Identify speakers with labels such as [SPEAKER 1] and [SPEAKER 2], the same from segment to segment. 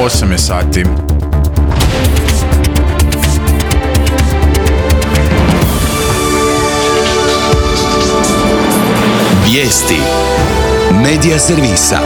[SPEAKER 1] 8 je sati.
[SPEAKER 2] Vijesti Medija servisa.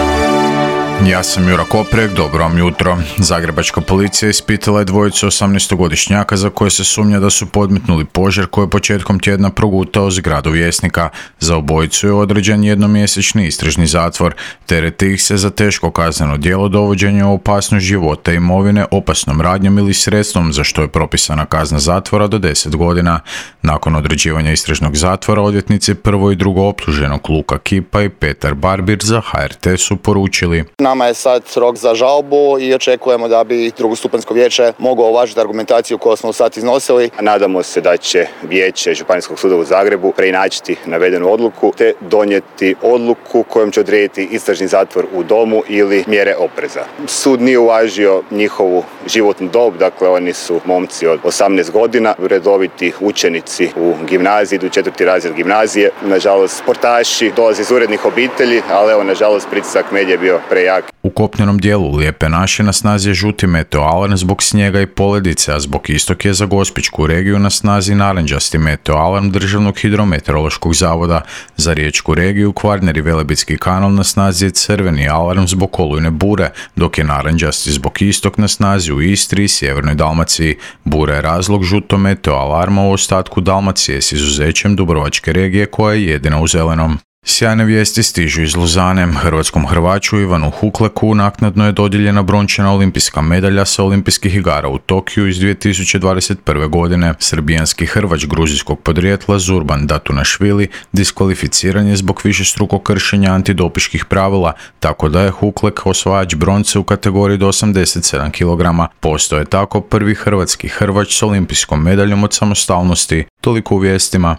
[SPEAKER 1] Ja sam Jura Koprek, dobro vam jutro. Zagrebačka policija ispitala je dvojicu 18-godišnjaka za koje se sumnja da su podmetnuli požar koji je početkom tjedna progutao zgradu Vjesnika. Za obojicu je određen jednomjesečni istražni zatvor. Tereti ih se za teško kazneno djelo dovođenja u opasnost života i imovine opasnom radnjom ili sredstvom za što je propisana kazna zatvora do 10 godina. Nakon određivanja istražnog zatvora, odvjetnici prvo i drugo optuženog Luka Kipa i Petar Barbir za HRT su poručili:
[SPEAKER 3] Nama je sad rok za žalbu i očekujemo da bi drugostupanjsko vijeće moglo uvažiti argumentaciju koju smo sad iznosili.
[SPEAKER 4] Nadamo se da će vijeće Županijskog suda u Zagrebu preinačiti navedenu odluku te donijeti odluku kojom će odrediti istražni zatvor u domu ili mjere opreza. Sud nije uvažio njihovu životnu dob, dakle oni su momci od 18 godina, redoviti učenici u gimnaziji, idu 4. razred gimnazije. Nažalost, sportaši dolaze iz urednih obitelji, ali evo, nažalost, pritisak medija je bio prejak.
[SPEAKER 1] U kopnenom dijelu Lijepe naše na snazi je žuti meteo alarm zbog snijega i poledice, a zbog istog je za Gospićku regiju na snazi narančasti meteo alarm Državnog hidrometeorološkog zavoda. Za Riječku regiju, Kvarner i Velebitski kanal na snazi je crveni alarm zbog olujne bure, dok je narančasti zbog istog na snazi u Istri i sjevernoj Dalmaciji. Bura je razlog žuto meteo alarma u ostatku Dalmacije s izuzećem Dubrovačke regije koja je jedina u zelenom. Sjajne vijesti stižu iz Luzane. Hrvatskom hrvaču Ivanu Hukleku naknadno je dodijeljena brončana olimpijska medalja sa olimpijskih igara u Tokiju iz 2021. godine. Srbijanski hrvač gruzijskog podrijetla Zurban Datunašvili diskvalificiran je zbog višestrukog kršenja antidopiških pravila, tako da je Huklek osvajač bronce u kategoriji do 87 kg. Postao je tako prvi hrvatski hrvač s olimpijskom medaljom od samostalnosti. Toliko u vijestima.